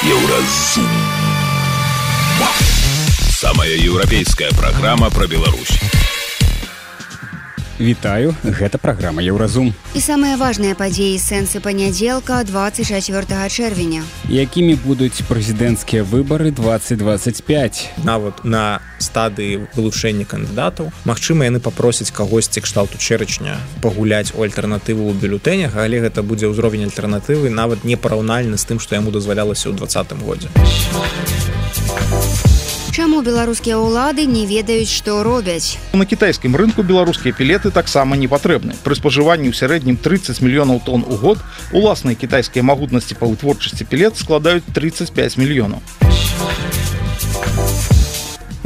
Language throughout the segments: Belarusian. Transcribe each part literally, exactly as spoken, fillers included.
Еўразум. Самая еўрапейская праграма пра Беларусь. Вітаю, гэта праграма Еўразум. І самыя важныя падзеі сэнсы панядзелка двадцать чацвёртага чэрвеня. Якімі будуць прэзідэнцкія выбары двадцать двадцать пять. Нават на стадыі вылучэння кандыдатаў. Магчыма, яны папросяць кагосьці кшталту чэрачня пагуляць у альтэрнатыву ў бюлетэнях, але гэта будзе ўзровень альтэрнатывы нават не параўнальны з тым, што яму дазвалялася ў двадцатым годзе. Чаму беларускія ўлады не ведаюць, што робяць? На кітайскім рынку беларускія пілеты таксама не патрэбны. Пры спажыванні ў сярэднім трыццаць мільёнаў тонн у год уласныя кітайскія магутнасці па вытворчасці пілет складаюць трыццаць пяць мільёнаў.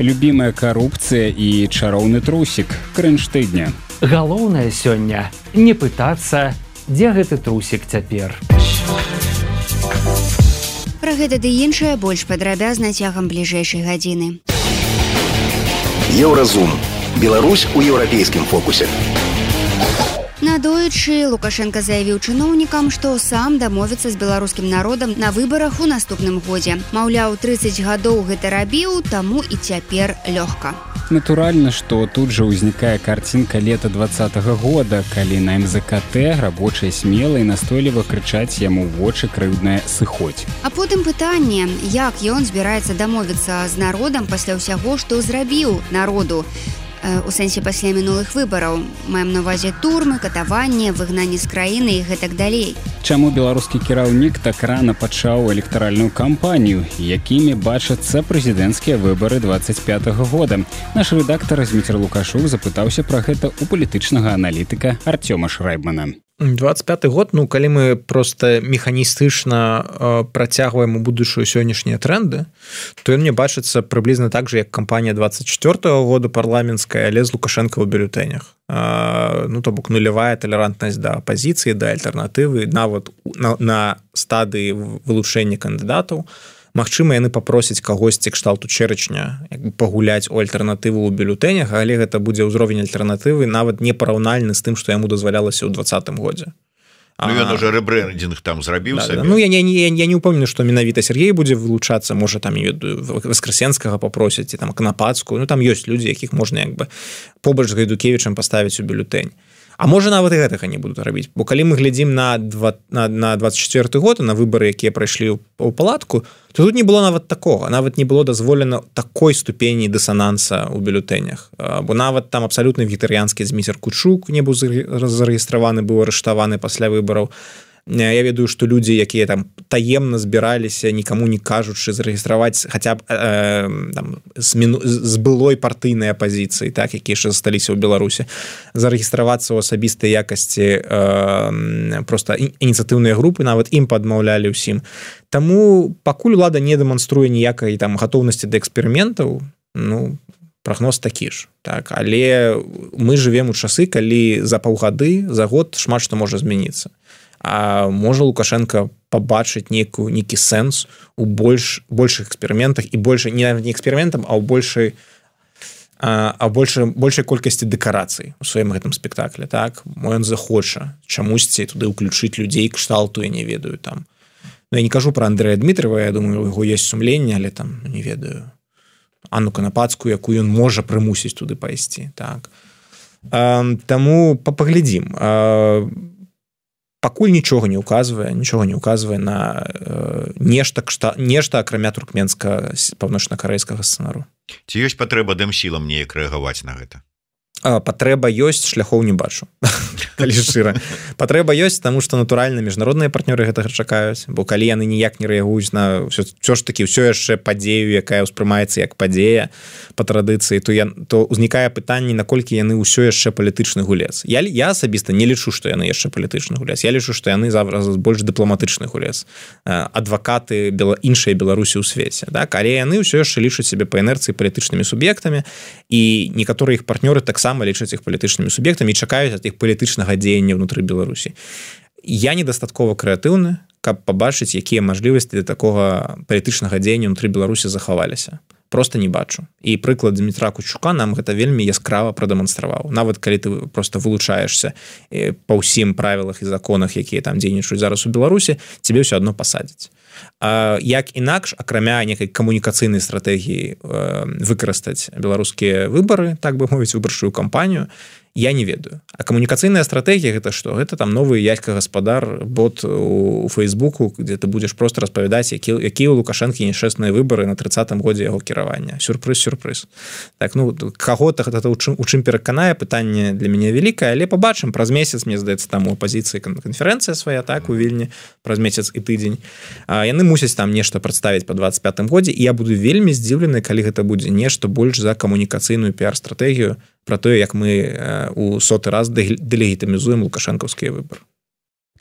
Любімая карупцыя і чароўны трусік. Крынж тыдня. Галоўнае сёння не пытацца, дзе гэты трусік цяпер. Пра гэта ды іншае больш падрабязна цягам бліжэйшай гадзіны. Еўразум. Беларусь у еўрапейскім фокусе. Надоечы Лукашенко заявіў чыноўнікам, што сам дамовіцца з беларускім народам на выбарах у наступным годзе. Маўляў, трыццаць гадоў гэта рабіў, таму і цяпер лёгка. Натуральна, што тут жа ўзнікае карцінка лета двадцатага года, калі на эм зэ ка тэ рабочыя смела і настойліва крычаць яму ў вочы крыўдная сыходзь. А потым пытанне, як ён збіраецца дамовіцца з народам пасля ўсяго, што зрабіў народу. У сэнсе пасля мінулых выбараў. Маем на ўвазе турмы, катаванне, выгнанне з краіны і гэтак далей. Чаму беларускі кіраўнік так рана пачаў электаральную кампанію, якімі бачацца прэзідэнцкія выбары двадцать пятага года? Наш рэдактар Зміцер Лукашук запытаўся пра гэта ў палітычнага аналітыка Артёма Шрайбмана. двадцать пяты год, ну, калі мы проста механістычна э, працягваем у будучую сённяшнія тренды, то ён мне бачыцца прыблізна так же, як кампанія двадцать чацвёртага года парламенцкая, але з Лукашенко ў бюлетэнях. Э, ну, то бок нулявая талерантнасць да апазіцыі, да альтэрнатывы, нават на, на стадыі вылучэння кандыдатаў. Магчыма, яны папросяць кагосьці кшталту чэрачня пагуляць у альтэрнатыву ў бюлетэнях, але гэта будзе ўзровень альтэрнатывы нават не параўнальны з тым, што яму дазвалялася ў двадцатым годзе. Ну, ён уже рэбрэндинг там зрабіў да, сабе. Да. Ну, я, я, я, я не ўпэўнены, што менавіта Сергей будзе вылучацца, можа, там Васкрасенскага папросяць, і там Канапацкую. Ну, там ёсць людзі, якіх можна як бы побач з Гайдукевічам паставіць у бюлетэнь. А можа, нават і гэтага не будуць рабіць. Бо калі мы глядзім на, на, на двадцать чацвёрты год, на выбары, якія прайшлі ў палатку, то тут не было нават такога. Нават не было дазволена такой ступені дысананса ў бюлетэнях. Бо нават там абсалютна вегетарыянскі Зміцер Кучук не быў зарэгістраваны, быў арыштаваны пасля выбараў. Я ведаю, што людзі, якія там таемна збіраліся, нікаму не кажучы, зарэгістраваць хаця б э, там, з, міну... з былой партыйнай апазіцыі, так, якія яшчэ засталіся ў Беларусі, зарэгістравацца ў асабістай якасці э, проста ініцыятыўныя групы, нават ім падмаўлялі ўсім. Таму пакуль улада не дэманструе ніякай там гатоўнасці да эксперыментаў, ну, прагноз такі ж. Так, але мы жывем у часы, калі за паўгады, за год шмат што можа змяніцца. А можа Лукашенко пабачыць нейкую нейкі сэнс у больш большых эксперыментах і больше не не эксперыментам, а ў большай а, а больше большай колькасці дэкарацый у сваім гэтым спектакле. Так, мо ён захоча чамусьці туды ўключыць людзей кшталту, я не ведаю там. Ну, я не кажу пра Андрэя Дмітрова, я думаю, у яго ёсць сумленне, але там не ведаю Анну Канапацкую, якую ён можа прымусіць туды пайсці. Так. А, таму паглядзім. А, пакуль нічога не ўказвае, нічога не ўказвае на э, нешта, кшта, нешта акрамя туркменска паўночна-карэйскага сцэнару. Ці ёсць патрэба дэмсілам неяк рэагаваць на гэта? А, патрэба ёсць, шляхоў не бачу. Калі шчыра. Патрэба ёсць, таму што натуральна міжнародныя партнёры гэтага чакаюць, бо калі яны ніяк не рэагуюць на ўсё, ўсё ж такі ўсё яшчэ падзею, якая ўспрымаецца як падзея па традыцыі, то, я, то ўзнікае пытанне, наколькі яны ўсё яшчэ палітычны гулец. Я, я асабіста не лічу, што яны яшчэ палітычны гулец. Я лічу, што яны зараз больш дыпламатычны гулец. Адвакаты бела, іншай Беларусі ў свеце. Так? Але яны ўсё яшчэ лічаць сябе па інерцыі палітычнымі суб'ектамі, і некаторыя іх партнёры таксама лічаць іх палітычнымі суб'ектамі і чакаюць ад іх палітычнага дзеяння ўнутры Беларусі. Я недастаткова крэатыўны, каб пабачыць, якія мажлівасці для такога палітычнага дзеяння ўнутры Беларусі захаваліся. Просто не бачу. І прыклад Дмітра Кучука нам гэта вельмі яскрава прадэманстраваў. Нават калі ты просто вылучаешься па ўсім правілах і законах, якія там дзейнічаюць зараз у Беларусі, цябе ўсё адно пасадзяць. А, як інакш, акрамя некай камунікацыйнай стратэгіі э, выкарыстаць беларускія выбары, так бы мовіць, выбарчую кампанію, я не ведаю. А камунікацыйная стратэгія гэта што? Гэта там новы Яська гаспадар, бот у, у Фейсбуку, дзе ты будзеш просто распавядаць, які, якія ў Лукашэнкі нешчасныя выбары на трыццатым годзе яго кіравання. Сюрпрыз, сюрпрыз. Так, ну, каго-то гэта у чым, у чым пераканае, пытанне для мяне вялікае, але пабачым, праз месяц, мне здаецца, там у апазіцыі канферэнцыя свая, так, у Вільні, праз месяц і тыдзень. А, яны мусяць там нешта прадставіць па двадцать пятым годзе, і я буду вельмі здзіўлены, калі гэта будзе нешта больш за камунікацыйную піар-стратэгію про тое, як мы у соты раз дэлегітымізуем лукашэнкаўскія выбары.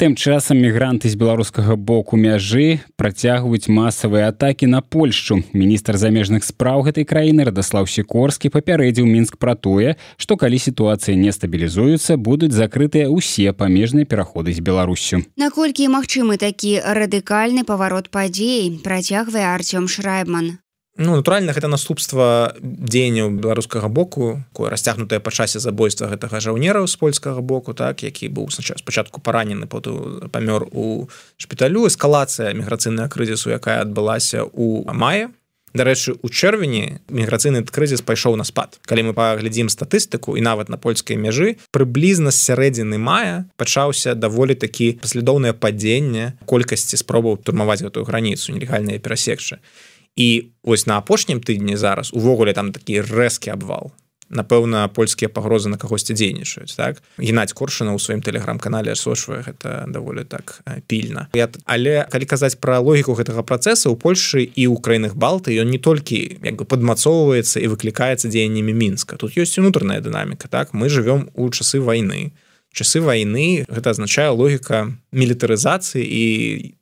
Тым часам мігранты з беларускага боку мяжы працягваюць масавыя атакі на Польшчу. Міністр замежных спраў гэтай краіны Радаслаў Сікорскі папярэдзіў Мінск пра тое, што калі сітуацыя не стабілізуецца, будуць закрытыя ўсе памежныя пераходы з Беларуссю. Наколькі магчымы такі радыкальны паварот падзей, працягвае Артём Шрайбман. Ну, натуральна, гэта наступства дзеянняў беларускага боку, такое расцягнутае па часе забойства гэтага жаўнера з польскага боку, так, які быў спачатку паранены, потым памёр у шпіталю. Эскалацыя міграцыйнага крызісу, якая адбылася ў маі. Дарэчы, у чэрвені міграцыйны крызіс пайшоў на спад. Калі мы паглядзім статыстыку, і нават на польскай мяжы, прыблізна з сярэдзіны мая пачаўся даволі такі паслядоўнае падзенне колькасці спробаў турмаваць гэтую граніцу, нелегальныя перасекчы. І вось на апошнім тыдні зараз увогуле там такі рэзкі абвал. Напэўна, польскія пагрозы на кагосьці дзейнічаюць, так? Геннадзь Коршуна ў сваім тэлеграм-канале асочвае гэта даволі так пільна. Я, але калі казаць пра логіку гэтага працэса, у Польшы і ў краінах Балты ён не толькі як бы падмацоўваецца і выклікаецца дзеяннямі Мінска. Тут ёсць унутраная дынаміка, так? Мы жывём у часы вайны. Часы вайны гэта азначае логіка мілітарызацыі і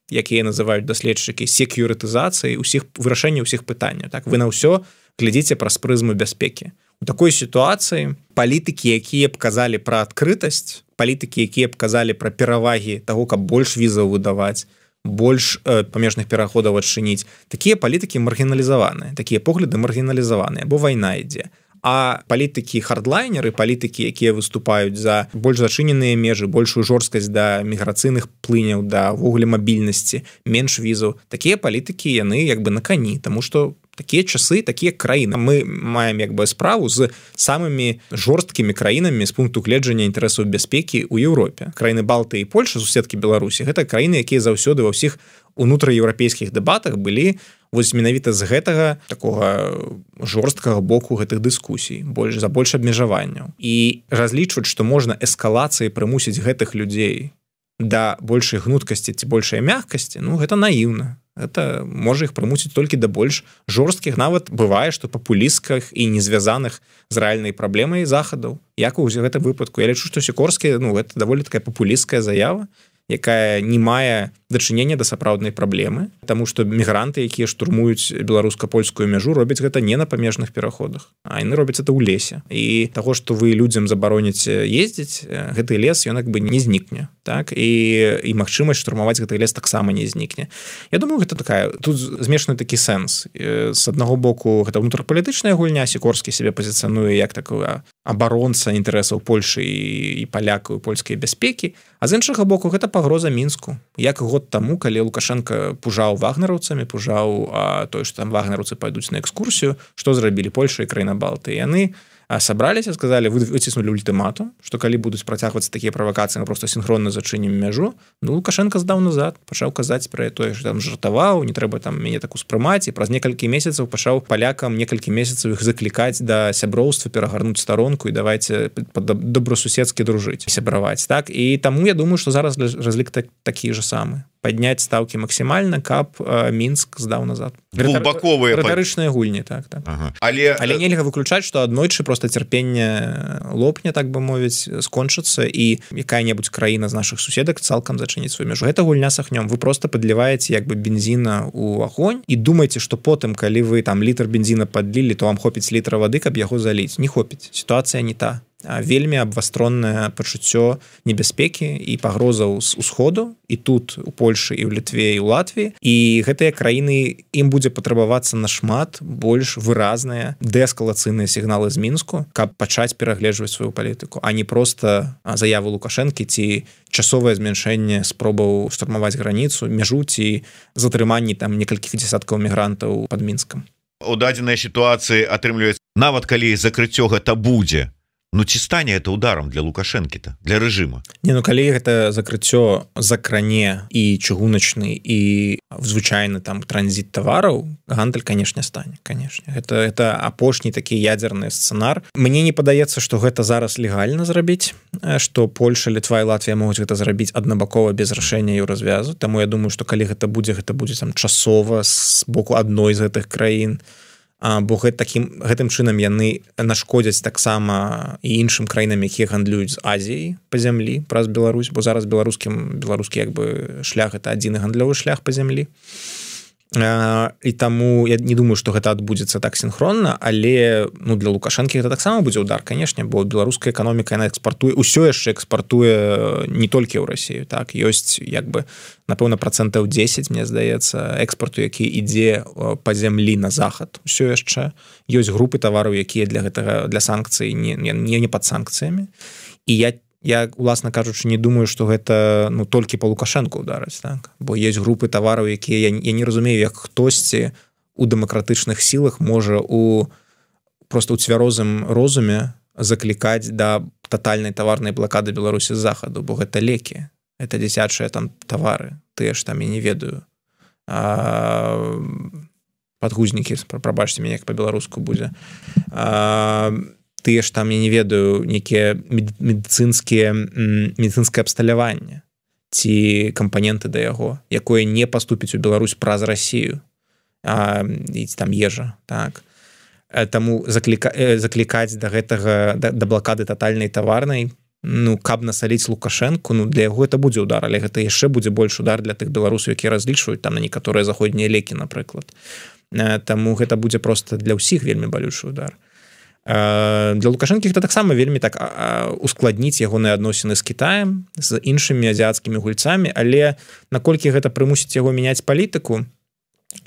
якія называюць даследчыкі секюрытызацыі ўсіх вырашэння ўсіх пытанняў. Так, вы на ўсё глядзіце праз прызму бяспекі. У такой сітуацыі палітыкі, якія б казалі пра адкрытасць, палітыкі, якія б казалі пра перавагі таго, каб больш візаў выдаваць, больш э, памежных пераходаў адчыніць, такія палітыкі маргіналізаваныя, такія погляды маргіналізаваныя, бо вайна ідзе. А палітыкі хардлайнеры, палітыкі, якія выступаюць за больш зачыненыя межы, большую жорсткасць да міграцыйных плыняў, да ввогуле мабільнасці, менш візаў, такія палітыкі яны як бы на кані, таму што такія часы, такія краіны. Мы маем як бы справу з самымі жорсткімі краінамі з пункту гледжання інтарэсаў бяспекі ў Еўропе. Краіны Балты і Польша, суседкі Беларусі, гэта краіны, якія заўсёды ва ўсіх унутраеўрапейскіх дэбатах былі вось менавіта з гэтага такога жорсткага боку гэтых дыскусій, больш за больш абмежаванняў. І разлічваць, што можна эскалацыяй прымусіць гэтых людзей да большай гнуткасці ці большай мяккасці, ну гэта наіўна. Гэта можа іх прымусіць толькі да больш жорсткіх, нават бывае, што папулістках і не звязаных з рэальнай праблемай захадаў. Як у гэтым выпадку? Я лічу, што Сікорскі, ну, гэта даволі такая папулісткая заява, якая не мае дачынення да сапраўднай праблемы, таму што мігранты, якія штурмуюць беларуска-польскую мяжу, робяць гэта не на памежных пераходах, а яны робяць это ў лесе. І таго, што вы людзям забароніце ездзіць, гэты лес, ён як бы не знікне. Так? І, і магчымасць штурмаваць гэты лес таксама не знікне. Я думаю, гэта такая, тут змешаны такі сэнс. З аднаго боку, гэта ўнутрапалітычная гульня, Сікорскі сябе пазіцыянуе як такая абаронца інтарэсаў Польшы і, і палякаў, і польскай бяспекі, а з іншага боку, гэта пагроза Мінску. Як год таму, калі Лукашенко пужаў вагнераўцамі, пужаў а, той, што там вагнераўцы пайдуць на экскурсію, што зрабілі Польша і краіна Балты. Яны сабраліся, сказалі, выціснулі ультыматум, што калі будуць працягвацца такія правакацыі, мы проста сінхронна зачынім мяжу. Ну, Лукашенко здаў назад, пачаў казаць пра тое, што там жартаваў, не трэба там мяне так успрымаць, і праз некалькі месяцаў пачаў палякам некалькі месяцаў іх заклікаць да сяброўства, перагарнуць старонку і давайце добрасуседскі дружыць, сябраваць. Так? І таму я думаю, што зараз разлік так, такі ж самы. Падняць стаўкі максімальна, каб э, Мінск здаў назад. Двухбаковыя рытарычныя гульні, так, так. Ага. Але, Але нельга выключаць, што аднойчы проста цярпенне лопне, так бы мовіць, скончыцца, і якая-небудзь краіна з нашых суседак цалкам зачыніць сваю мяжу. Гэта гульня з агнём. Вы проста падліваеце як бы бензіна ў агонь і думаеце, што потым, калі вы там літр бензіна падлілі, то вам хопіць літра вады, каб яго заліць. Не хопіць. Сітуацыя не та. вельмі абвастроннае пачуццё небяспекі і пагрозаў з усходу і тут у Польшы і ў Літве і ў Латвіі, і гэтыя краіны ім будзе патрабавацца нашмат больш выразныя дээскалацыйныя сігналы з Мінску, каб пачаць перагледжваць сваю палітыку, а не проста заяву Лукашэнкі ці часовае змяншэнне спробаў штурмаваць граніцу, мяжу ці затрыманні там некалькіх дзесяткаў мігрантаў пад Мінскам. У дадзенай сітуацыі атрымліваецца, нават калі закрыццё гэта будзе, ну ці стане это ударом для Лукашэнкі-то, для рэжыма? Не, ну калі гэта закрыццё закране і чыгуначны і звычайны там транзіт тавараў, гандаль, канешне, стане, канешне. Гэта, это апошні такі ядзерны сцэнар. Мне не падаецца, што гэта зараз легальна зрабіць, што Польша, Літва і Латвія могуць гэта зрабіць аднабакова без рашэння еўразвязу. Таму я думаю, што калі гэта будзе, гэта будзе там часова з боку адной з гэтых краін. Бо гэта, такім, гэтым чынам яны нашкодзяць таксама і іншым краінам, якія гандлююць з Азіяй па зямлі праз Беларусь, бо зараз беларускім беларускі як бы шлях это адзіны гандлёвы шлях па зямлі. І таму я не думаю, што гэта адбудзецца так сінхронна, але ну, для Лукашэнкі гэта таксама будзе удар, канешне, бо беларуская эканоміка яна экспартуе, усё яшчэ экспартуе не толькі ў Расію, так, ёсць як бы напэўна працэнтаў дзесяць, мне здаецца, экспарту, які ідзе па зямлі на захад, усё яшчэ ёсць групы тавараў, якія для гэтага для санкцый не, не, не пад санкцыямі, і я Я, уласна кажучы, не думаю, што гэта ну, толькі па Лукашэнку удараць, так? Бо ёсць групы тавараў, якія я, я не разумею, як хтосьці у дэмакратычных сілах можа у просто ў цвярозым розуме заклікаць да татальнай таварнай блакады Беларусі з захаду, бо гэта лекі, это дзіцячыя там тавары, тыя ж там я не ведаю. А, падгузнікі, прабачце мяне, як па-беларуску будзе. А, тыя ж там, я не ведаю, нейкія медыцынскія медыцынскае абсталяванне ці кампаненты да яго, якое не паступіць у Беларусь праз Расію, а, і там ежа, так. Таму закліка, заклікаць да гэтага, да, да блакады татальнай таварнай, ну, каб насаліць Лукашэнку, ну, для яго это будзе удар, але гэта яшчэ будзе больш удар для тых беларусаў, якія разлічваюць там на некаторыя заходнія лекі, напрыклад. Таму гэта будзе проста для ўсіх вельмі балючы удар. Для Лукашэнкі гэта таксама вельмі так ускладніць ягоныя адносіны з Кітаем, з іншымі азіяцкімі гульцамі, але наколькі гэта прымусіць яго мяняць палітыку,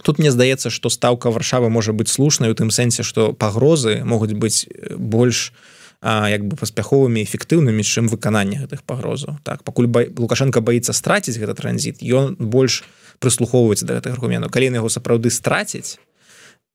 тут мне здаецца, што стаўка Варшавы можа быць слушнай у тым сэнсе, што пагрозы могуць быць больш як бы паспяховымі, эфектыўнымі, чым выкананне гэтых пагрозаў. Так, пакуль ба... Лукашенко баіцца страціць гэты транзіт, ён больш прыслухоўваецца да гэтых аргументаў. Калі яго сапраўды страціць,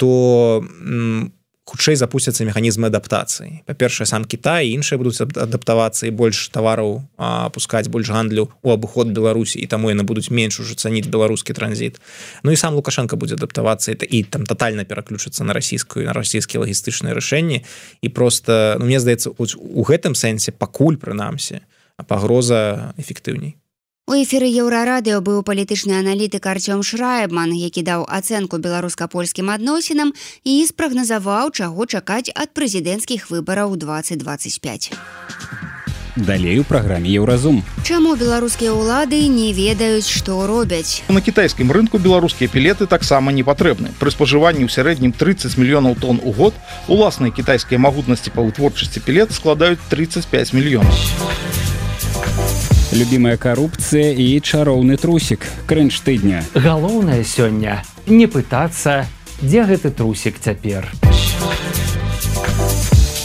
то хутчэй запусцяцца механізмы адаптацыі. Па-першае, сам Кітай і іншыя будуць адаптавацца і больш тавараў пускаць, больш гандлю у абыход Беларусі, і таму яны будуць менш ужо цаніць беларускі транзіт. Ну і сам Лукашенко будзе адаптавацца і, і там татальна пераключыцца на расійскую, на расійскія лагістычныя рашэнні. І проста, ну, мне здаецца, у гэтым сэнсе пакуль, прынамсі, пагроза эфектыўней. У эфіры Еўрарадыё быў палітычны аналітык Артём Шрайбман, які даў ацэнку беларуска-польскім адносінам і спрагназаваў, чаго чакаць ад прэзідэнцкіх выбараў двадцать двадцать пять. Далей у праграме Еўразум. Чаму беларускія ўлады не ведаюць, што робяць? На кітайскім рынку беларускія пілеты таксама не патрэбны. Пры спажыванні ў сярэднім тридцать мільёнаў тонн у год уласныя кітайскія магутнасці па вытворчасці пілет складаюць тридцать пять мільёнаў. Любімая карупцыя і чароўны трусік. Крынж тыдня. Галоўнае сёння не пытацца, дзе гэты трусік цяпер.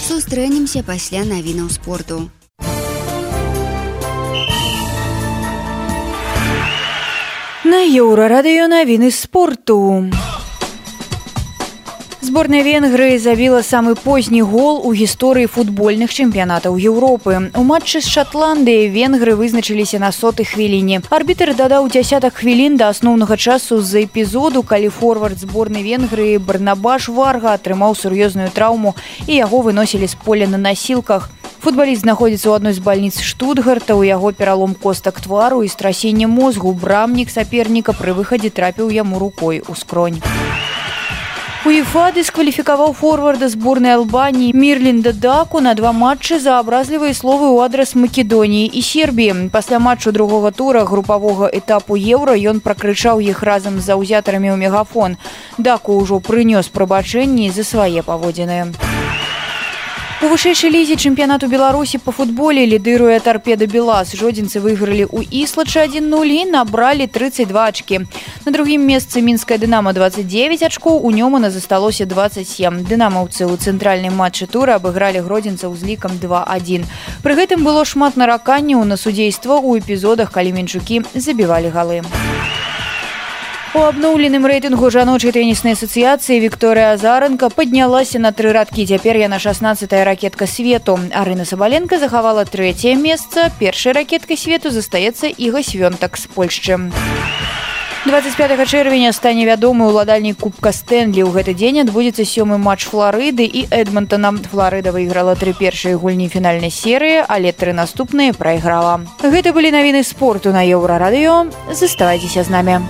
Сустрэнемся пасля навінаў спорту. На Еўрарадыё навіны спорту. Зборная Венгрыі забіла самы позні гол у гісторыі футбольных чэмпіянатаў Еўропы. У матчы з Шатландыяй венгры вызначыліся на сотай хвіліне. Арбітр дадаў дзясятак хвілін да асноўнага часу з-за эпізоду, калі форвард зборнай Венгрыі Барнабаш Варга атрымаў сур'ёзную траўму і яго выносілі з поля на насілках. Футбаліст знаходзіцца ў адной з бальніц Штутгарта, у яго пералом костак твару і страсенне мозгу. Брамнік саперніка пры выхадзе трапіў яму рукой у скронь. УЕФА дыскваліфікаваў форварда зборнай Албаніі Мірлінда Даку на два матчы за абразлівыя словы ў адрас Македоніі і Сербіі. Пасля матчу другога тура групавога этапу Еўра ён пракрычаў іх разам з заўзятарамі ў мегафон. Даку ўжо прынёс прабачэнні за свае паводзіны. У вышэйшай лізе чэмпіянату Беларусі па футболе лідыруе Торпеда Белас. Жодзінцы выйгралі ў Іслачы адзін нуль і набралі тридцать два ачкі. На другім месцы мінская Дынамо двадцать девять ачкоў, у Нёмана засталося двадцать семь. Дынамаўцы ў цэнтральным матчы тура абыгралі гродзенцаў з лікам два адзін. Пры гэтым было шмат нараканняў на судзейства ў эпізодах, калі мінчукі забівалі галы. У абноўленым рэйтынгу жаночай тэніснай асацыяцыі Вікторыя Азаранка паднялася на тры радкі. Цяпер яна шаснаццатая ракетка свету. Арына Сабаленка захавала трэцяе месца. Першай ракеткай свету застаецца Іга Свёнтак з Польшчы. двадцать пятага чэрвеня стане вядомы ўладальнік Кубка Стэнлі. У гэты дзень адбудзецца сёмы матч Фларыды і Эдмонтона. Фларыда выйграла тры першыя гульні фінальнай серыі, але тры наступныя прайграла. Гэта былі навіны спорту на Еўрарадыё. Заставайцеся з намі.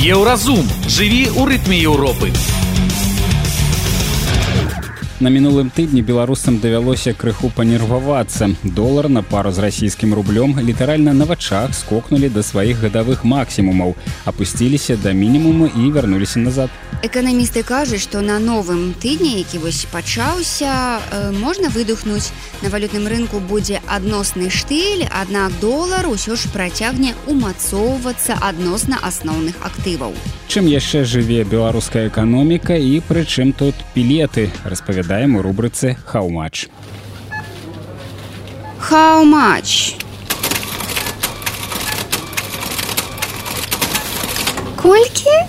Еўразум. Жыві ў рытме Еўропы. На мінулым тыдні беларусам давялося крыху панервавацца. Долар на пару з расійскім рублём літаральна на вачах скокнулі да сваіх гадавых максімумаў, апусціліся да мінімуму і вярнуліся назад. Эканамісты кажуць, што на новым тыдні, які вось пачаўся, э, можна выдохнуць. На валютным рынку будзе адносны штыль, аднак долар усё ж працягне умацоўвацца адносна асноўных актываў. Чым яшчэ жыве беларуская эканоміка і прычым тут пілеты, распавядаем у рубрыцы «How much?». How much? Колькі?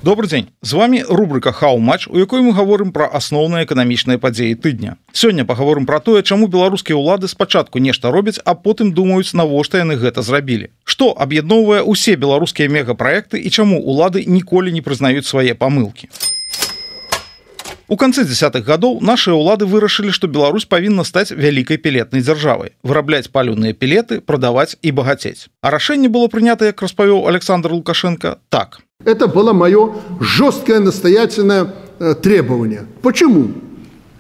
Добрый дзень, з вами рубрика «How much?», у якой мы гаворым пра асноўныя эканамічныя падзеі тыдня. Сёння пагаворым пра тое, чаму беларускія ўлады спачатку нешта робяць, а потым думаюць, навошта яны гэта зрабілі. Што аб'ядноўвае ўсе беларускія мегапраекты і чаму ўлады ніколі не прызнаюць свае памылкі. У канцы дзясятых гадоў нашыя ўлады вырашылі, што Беларусь павінна стаць вялікай пелетнай дзяржавай, вырабляць паліўныя пелеты, прадаваць і багацець. А рашэнне было прынята, як распавёў Александр Лукашенко, так. Это было мое жесткое настоятельное э, требование. Почему?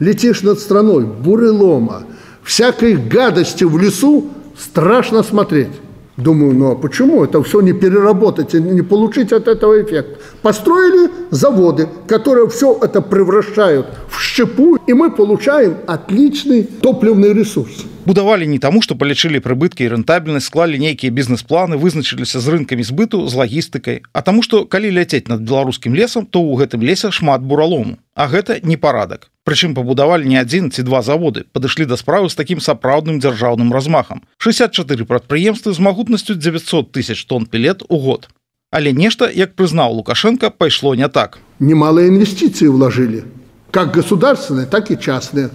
Летишь над страной, бурелома, всякой гадости в лесу страшно смотреть. Думаю, ну а почему это все не переработать и не получить от этого эффект? Построили заводы, которые все это превращают в щепу, и мы получаем отличный топливный ресурс. Будавалі не таму, што палічылі прыбыткі і рэнтабельнасць, склалі нейкія бізнес-планы, вызначыліся з рынкамі збыту, з лагістыкай. А таму, што калі ляцець над беларускім лесам, то ў гэтым лесе шмат буралому. А гэта непарадак. Прычым пабудавалі не адзін ці два заводы, падышлі да справы з такім сапраўдным дзяржаўным размахам. шэсцьдзясят чатыры прадпрыемствы з магутнасцю дзевяцьсот тысяч тонн пелет у год. Але нешта, як прызнаў Лукашенко, пайшло не так. Немалые инвестиции вложили, как государственные, так и частные.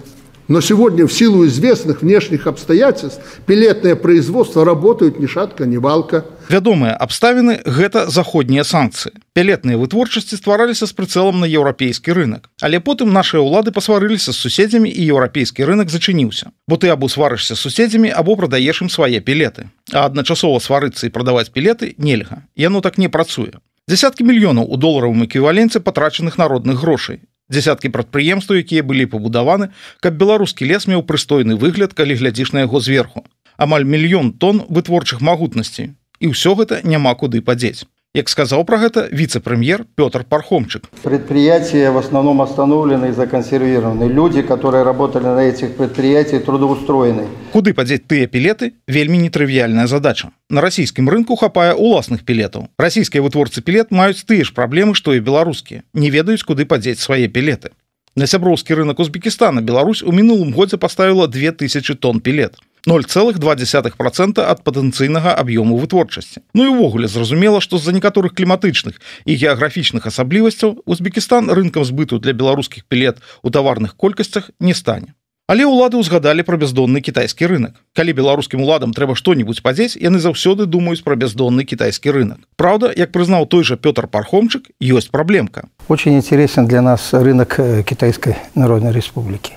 Но сегодня в силу известных внешних обстоятельств пелетное производство работают ни шатка, ни валка. Вядомыя абставіны – гэта заходнія санкцыі. Пелетныя вытворчасці ствараліся з прыцэлам на еўрапейскі рынок. Але потым нашыя ўлады пасварыліся з суседзямі і еўрапейскі рынок зачыніўся. Бо ты або сварышся з суседзямі, або прадаеш ім свае пелеты. А адначасова сварыцца і прадаваць пелеты нельга. Яно так не працуе. Дзясяткі мільёнаў у доларавым эквіваленце патрачаных народных грошай. Дзясяткі прадпрыемстваў, якія былі пабудаваны, каб беларускі лес меў прыстойны выгляд, калі глядзіш на яго зверху. Амаль мільён тонн вытворчых магутнасцей. І ўсё гэта няма куды падзець. Як сказаў пра гэта віцэ-прэм'ер Пётр Пархомчык. Предприятия в основном остановлены и законсервированы. Люди, которые работали на этих предприятиях, трудоустроены. Куды падзець тыя пелеты – вельмі нетрывіяльная задача. На расійскім рынку хапае уласных пелетаў. Расійскія вытворцы пелет маюць тыя ж праблемы, што і беларускія. Не ведаюць, куды падзець свае пелеты. На сяброўскі рынок Узбекістана Беларусь у мінулым годзе паставіла две тысячы тонн пелет. ноль цэлых два дзесятых процента ад патэнцыйнага аб'ёму вытворчасці. Ну і ўвогуле зразумела, што з-за некаторых кліматычных і геаграфічных асаблівасцяў Узбекістан рынкам збыту для беларускіх пелет у таварных колькасцях не стане. Але ўлады ўзгадалі пра бяздонны кітайскі рынок. Калі беларускім уладам трэба што-небудзь падзець, яны заўсёды думаюць пра бяздонны кітайскі рынок. Праўда, як прызнаў той жа Пётр Пархомчык, ёсць праблемка. Очень интересен для нас рынок Китайской Народной Республики.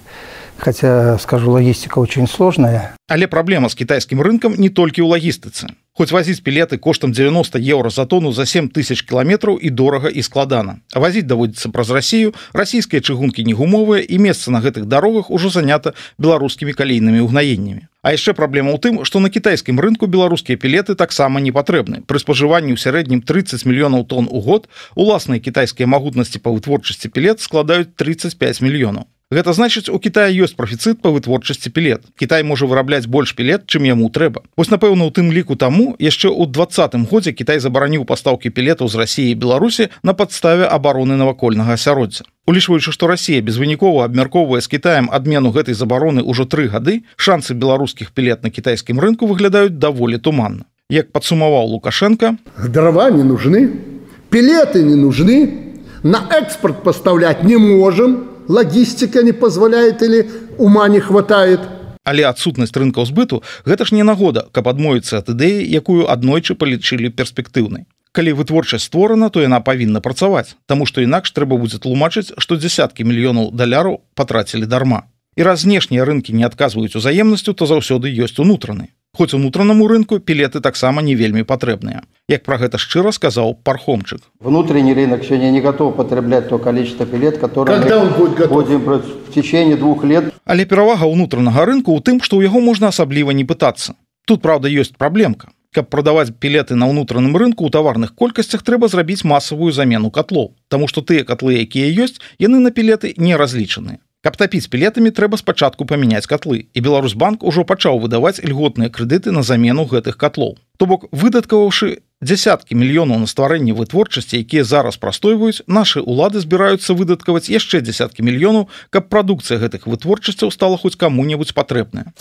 Хотя, скажу, логистика очень сложная. Але праблема з кітайскім рынкам не толькі ў лагістыцы. Хоць вазіць пілеты коштам девяносто еўра за тону за семь тысяч кіламетраў і дорага і складана. А вазіць даводзіцца праз Расію, расійскія чыгункі не гумовыя і месца на гэтых дарогах ужо занята беларускімі калійнымі ўгнаеннямі. А яшчэ праблема ў тым, што на кітайскім рынку беларускія пілеты таксама не патрэбны. Пры спажыванні ў сярэднім тридцать мільёнаў тонн у год уласныя кітайскія магутнасці па вытворчасці пілет складаюць тридцать пять мільёнаў. Гэта значыць, у Китая ёсць профіцыт па вытворчасці пілет. Китай можа вырабляць больш пілет, чым яму трэба. Вось, напэўна, у тым ліку таму яшчэ ў двадцатым годзе Китай забараніў пастаўкі пілетаў з Расіі і Беларусі на падставе абароны навакольнага асяроддзя. Улічваючы, што Расія безвынікова абмяркоўвае з Китаем адмену гэтай забароны ўжо тры гады, шансы беларускіх пілет на кітайскім рынку выглядаюць даволі туманна. Як падсумаваў Лукашенко: дрова не нужны, пілеты не нужны, на экспорт поставлять не можем, логистика не позволяет или ума не хватает. Але адсутнасць рынкаў збыту – гэта ж не нагода, каб адмовіцца ад ідэі, якую аднойчы палічылі перспектыўнай. Калі вытворчасць створана, то яна павінна працаваць, таму што інакш трэба будзе тлумачыць, што дзесяткі мільёнаў даляраў патрацілі дарма. І раз знешнія рынкі не адказваюць узаемнасцю, то заўсёды ёсць унутраны. Хоць унутранаму рынку пілеты таксама не вельмі патрэбныя. Як пра гэта шчыра сказаў Пархомчык. Внутренний рынок сегодня не готов потреблять то количество пилет, которое Когда он будет готов? Будем в течение двух лет. Але перавага ўнутранага рынку ў тым, што ў яго можна асабліва не пытацца. Тут, правда, ёсць праблемка. Каб прадаваць пілеты на ўнутраным рынку ў таварных колькасцях, трэба зрабіць масавую замену котлоў, таму што тыя котлы, якія ёсць, яны на пілеты не разлічаныя. Каб тапіць пілетамі, трэба спачатку памяняць котлы, і Беларусьбанк ужо пачаў выдаваць льготныя крэдыты на замену гэтых котлоў. То бок, выдаткаваўшы дзесяткі мільёнаў на стварэнне вытворчасці, якія зараз прастойваюць, нашы ўлады збіраюцца выдаткаваць яшчэ дзесяткі мільёнаў, каб прадукцыя гэтых вытворчасцяў стала хоць каму-небудзь патрэбная.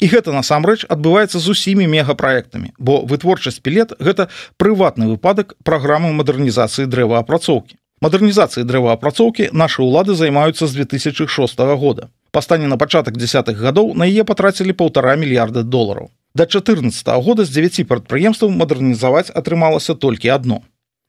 І гэта насамрэч адбываецца з усімі мегапраектамі, бо вытворчасць пілет – гэта прыватны выпадак праграмы мадэрнізацыі дрэваапрацоўкі. Мадэрнізацыяй дрэваапрацоўкі нашы ўлады займаюцца з две тысячи шостага года. Па стане на пачатак дзесятых гадоў на яе патрацілі паўтара мільярда долараў. Да чатырнаццатага года з дзевяці прадпрыемстваў мадэрнізаваць атрымалася толькі адно.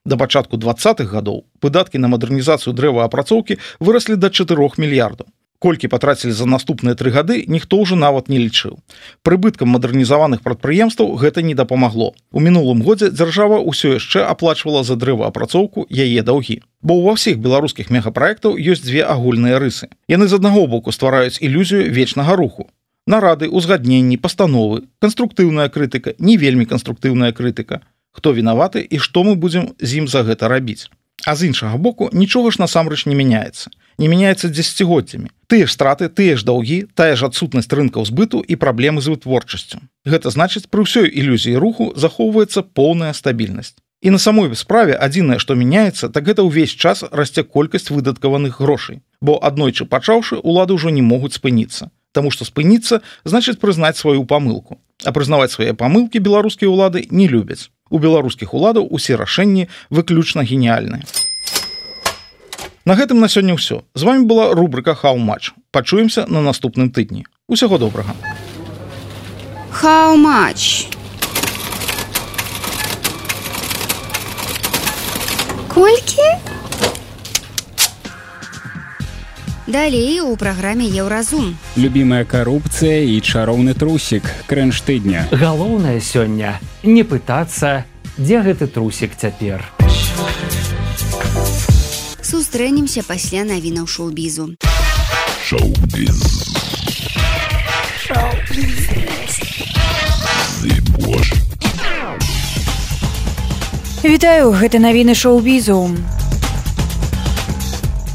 Да пачатку двадцатых гадоў выдаткі на мадэрнізацыю дрэваапрацоўкі выраслі да чатырох мільярдаў. Колькі патрацілі за наступныя тры гады, ніхто ўжо нават не лічыў. Прыбыткам мадэрнізаваных прадпрыемстваў гэта не дапамагло. У мінулым годзе дзяржава ўсё яшчэ аплачвала за дрэваапрацоўку яе даўгі. Бо ўва ўсіх беларускіх мегапраектаў ёсць дзве агульныя рысы. Яны з аднаго боку ствараюць ілюзію вечнага руху. Нарады, узгадненні, пастановы, канструктыўная крытыка, не вельмі канструктыўная крытыка. Хто вінаваты і што мы будзем з ім за гэта рабіць. А з іншага боку, нічога ж насамрэч не мяняецца. Не мяняецца дзесяцігоддзямі. Тыя ж страты, тыя ж даўгі, тая ж адсутнасць рынкаў збыту і праблемы з вытворчасцю. Гэта значыць, пры ўсёй ілюзіі руху захоўваецца поўная стабільнасць. І на самой справе адзінае, што мяняецца, так гэта ўвесь час расце колькасць выдаткаваных грошай. Бо аднойчы пачаўшы, улады ўжо не могуць спыніцца. Таму што спыніцца значыць прызнаць сваю памылку. А прызнаваць свае памылкі беларускія ўлады не любяць. У беларускіх уладаў усе рашэнні выключна геніяльныя. На гэтым на сёння ўсё. З вами была рубрика How Much. Пачуемся на наступным тыдні. Усяго добрага. How much? Колькі? Далей у праграме Еўразум. Любімая карупцыя і чароўны трусік. Крэнж тыдня. Галоўнае сёння не пытацца, дзе гэты трусік цяпер. Сустрэнемся пасля навінаў шоу-бізу. Шоу-біз. Шоу-біз. Вітаю, гэта навіны шоу-бізу.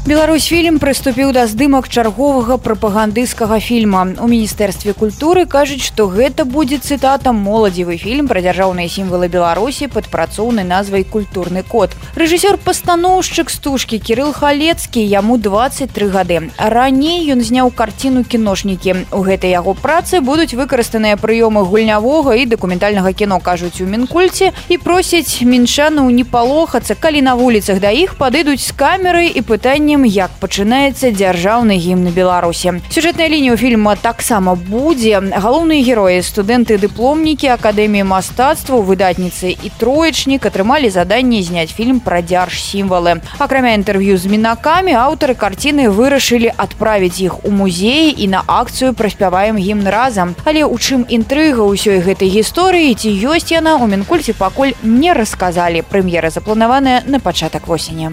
Беларусьфільм прыступіў да здымак чарговага прапагандысцкага фільма. У міністэрстве культуры кажуць, што гэта будзе, цытата, моладзевы фільм пра дзяржаўныя сімвалы Беларусі пад працоўнай назвай «Культурны код». Рэжысёр-пастаноўшчык стужкі Кірыл Халецкі, яму дваццаць тры гады. Раней ён зняў карціну «Кіношнікі». У гэтай яго працы будуць выкарыстаныя прыёмы гульнявога і дакументальнага кіно, кажуць у Мінкульце, і просяць мінчанаў не палохацца, калі на вуліцах да іх падыдуць з камерай і пытаннем пытаннем, як пачынаецца дзяржаўны гімн Беларусі. Сюжэтная лінія фільма таксама будзе. Галоўныя героі, студэнты-дыпломнікі Акадэміі мастацтваў, выдатніцы і троечнік атрымалі заданне зняць фільм пра дзяржсімвалы. Акрамя інтэрв'ю з мінакамі, аўтары карціны вырашылі адправіць іх у музеі і на акцыю «Праспяваем гімн разам». Але ў чым інтрыга ўсёй гэтай гісторыі, ці ёсць яна, у Мінкульце пакуль не расказалі. Прэм'ера запланаваная на пачатак восені.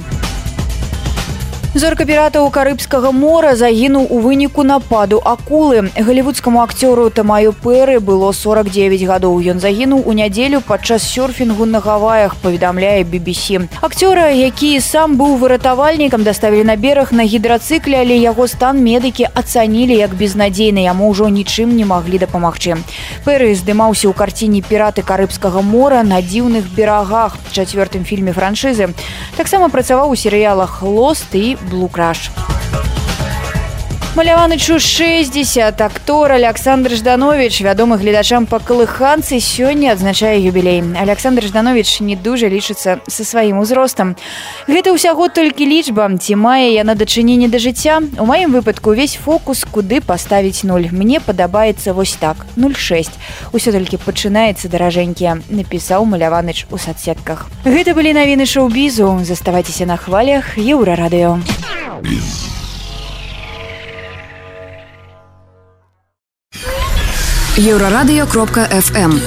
Зорка піратаў Карыбскага мора загінуў у выніку нападу акулы. Галівудскаму акцёру Тамаю Пэры было сорок девять гадоў. Ён загінуў у нядзелю падчас сёрфінгу на Гаваях, паведамляе би би сі. Акцёра, які сам быў выратавальнікам, даставілі на бераг на гідрацыкле, але яго стан медыкі ацанілі як безнадзейны, яму ўжо нічым не маглі дапамагчы. Пэры здымаўся ў карціне «Піраты Карыбскага мора» на дзіўных берагах, чацвёртым фільме франшызы. Таксама працаваў у серыялах «Лост» і «Блу Краш». Маляванычу шэсцьдзесят. Актор Александр Жданович, вядомы гледачам па калыханцы, сёння адзначае юбілей. Александр Жданович не дужа лічыцца са сваім узростам. Гэта ўсяго толькі лічба, ці мае яна дачыненне да жыцця? У маім выпадку ўвесь фокус, куды паставіць нуль. Мне падабаецца вось так, нуль шэсць. Усё толькі пачынаецца, даражэнькія, напісаў Маляваныч у сацсетках. Гэта былі навіны шоу-бізу. Заставайцеся на хвалях Еўрарадыё. еўрарадыё кропка эф эм.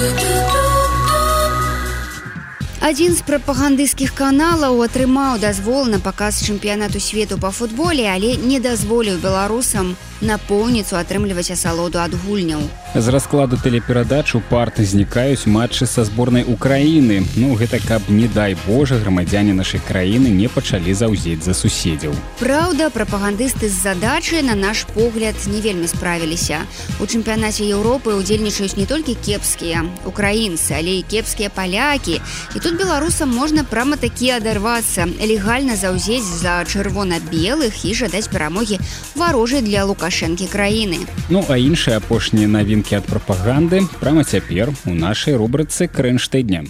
Адзін з прапагандысцкіх каналаў атрымаў дазвол на паказ чэмпіянату свету па футболе, але не дазволіў беларусам напоўніцу атрымліваць асалоду ад гульняў. З раскладу тэлеперадач у парты знікаюць матчы са зборнай Украіны. Ну, гэта каб, не дай Божа, грамадзяне нашай краіны не пачалі заўзець за суседзяў. Праўда, прапагандысты з задачай, на наш погляд, не вельмі справіліся. У чэмпіянаце Еўропы ўдзельнічаюць не толькі кепскія украінцы, але і кепскія палякі. І тут беларусам можна прама-такі адарвацца, легальна заўзець за чырвона-белых і жадаць перамогі варожай для Лукашэнкі краіны. Ну, а іншыя апошнія навінкі ад прапаганды прямо цяпер у нашай рубрыцы «Крынж тыдня».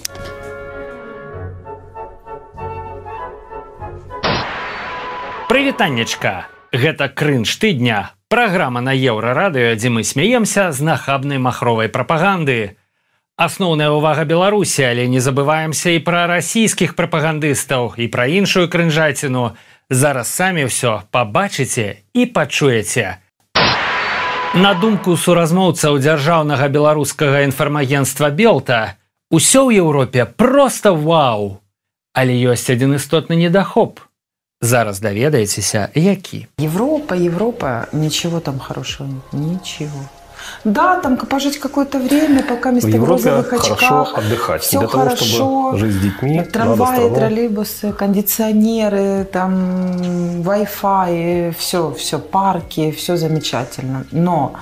Прывітаннечка! Гэта «Крынж тыдня». Праграма на Еўрарадыё, дзе мы смяемся з нахабнай махровай прапаганды. Асноўная ўвага Беларусі, але не забываемся і пра расійскіх прапагандыстаў, і пра іншую крынжаціну. Зараз самі ўсё пабачыце і пачуеце. На думку суразмоўцаў дзяржаўнага беларускага інфармагенцтва «Белта», усё ў Еўропе проста вау. Але ёсць адзін істотны недахоп. Зараз даведаецеся, які. Европа, Европа, ничего там хорошего нет, ничего. Да, там пожить какое-то время, пока место в розовых очках. Хорошо отдыхать. Все для хорошо. Того, чтобы жить с детьми, трамваи, троллейбусы, кондиционеры, там Wi-Fi, все, все, парки, все замечательно. Но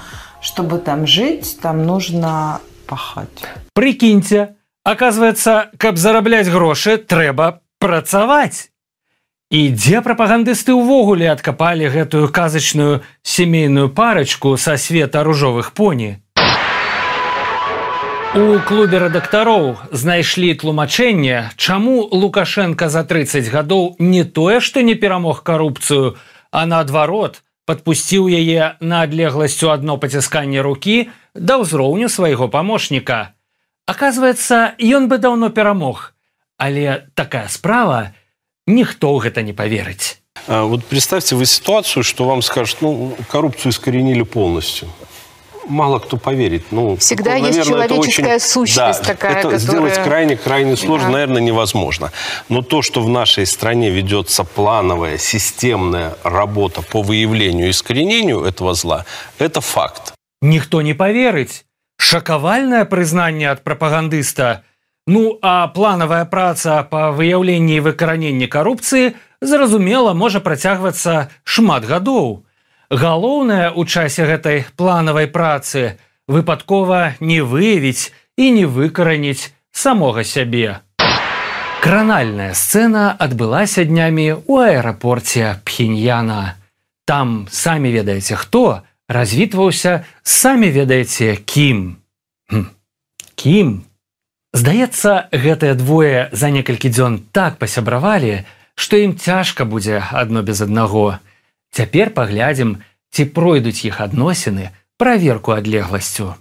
чтобы там жить, там нужно пахать. Прикиньте, оказывается, каб зарабляць грошы, трэба працаваць. І дзе прапагандысты ўвогуле адкапалі гэтую казачную сямейную парачку са света ружовых поні? У клубе рэдактароў знайшлі тлумачэнне, чаму Лукашенка за трыццаць гадоў не тое, што не перамог карупцыю, а наадварот, падпусціў яе на адлегласць у адно пацісканне рукі да ўзроўню свайго памочніка. Аказваецца, ён бы даўно перамог, але такая справа, никто в это не поверит. А вот представьте вы ситуацию, что вам скажут, ну, коррупцию искоренили полностью. Мало кто поверит. Ну, всегда наверное, есть человеческая очень... сущность да, такая, это которая... сделать крайне-крайне сложно, да. наверное, невозможно. Но то, что в нашей стране ведется плановая, системная работа по выявлению и искоренению этого зла, это факт. Никто не поверит. Шокавальное признание от пропагандиста. Ну, а планавая праца па выяўленні і выкараненні карупцыі, зразумела, можа працягвацца шмат гадоў. Галоўнае ў часе гэтай планавай працы выпадкова не выявіць і не выкараніць самога сябе. Кранальная сцэна адбылася днямі ў аэрапорце Пхеньяна. Там, самі ведаеце хто, развітваўся, самі ведаеце кім. Хм. Кім? Здаецца, гэтыя двое за некалькі дзён так пасябравалі, што ім цяжка будзе адно без аднаго. Цяпер паглядзім, ці пройдуць іх адносіны праверку адлегласцю.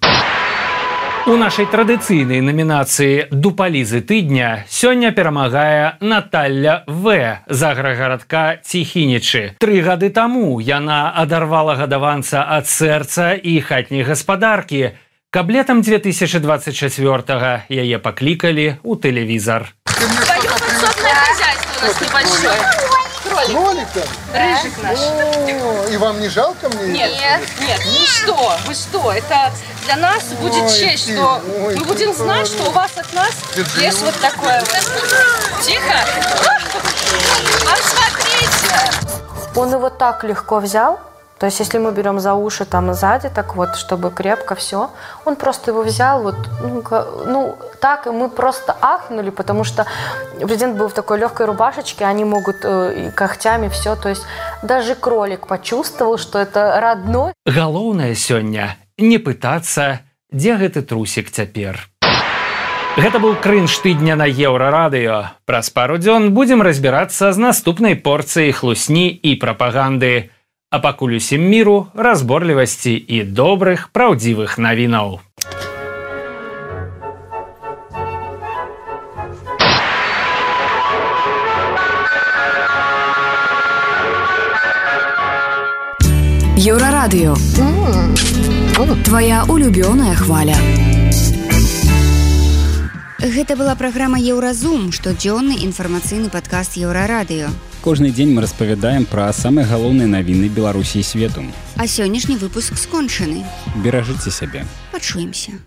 У нашай традыцыйнай намінацыі «Дупалізы тыдня» сёння перамагае Наталля В. з аграгарадка Ціхінічы. Тры гады таму яна адарвала гадаванца ад сэрца і хатняй гаспадаркі. Каб летам две тысячи двадцать четвёртого яе паклікалі ў тэлевізар. Твое подсобное хозяйство у нас небольшое. Кролик. Кролик-то? Рыжик наш. И вам не жалко мне? Нет, нет, ну что, вы что, это для нас будет честь, что мы будем знать, что у вас от нас есть вот такое вот. Тихо. А смотрите. Он его так легко взял. То есть, если мы берем за уши там сзади, так вот, чтобы крепко все, он просто его взял, вот, ну, ну, так, и мы просто ахнули, потому что президент был в такой легкой рубашечке, они могут э, когтями все, то есть даже кролик почувствовал, что это родной. Галоўнае сёння не пытацца, дзе гэты трусик цяпер. Гэта быў крынж тыдня на Еўрарадыё. Праз пару дзён будзем разбірацца з наступнай порцыяй хлусні і прапаганды. А пакуль усім міру, разборлівасці і добрых, праўдзівых навінаў. Еўрарадыё. Твоя улюбёная хваля. Гэта была праграма «Еўразум», штодзённы інфармацыйны падкаст Еўрарадыё. Кожны дзень мы распавядаем пра самыя галоўныя навіны Беларусі і свету. А сённяшні выпуск скончаны. Беражыце сябе. Пачуемся.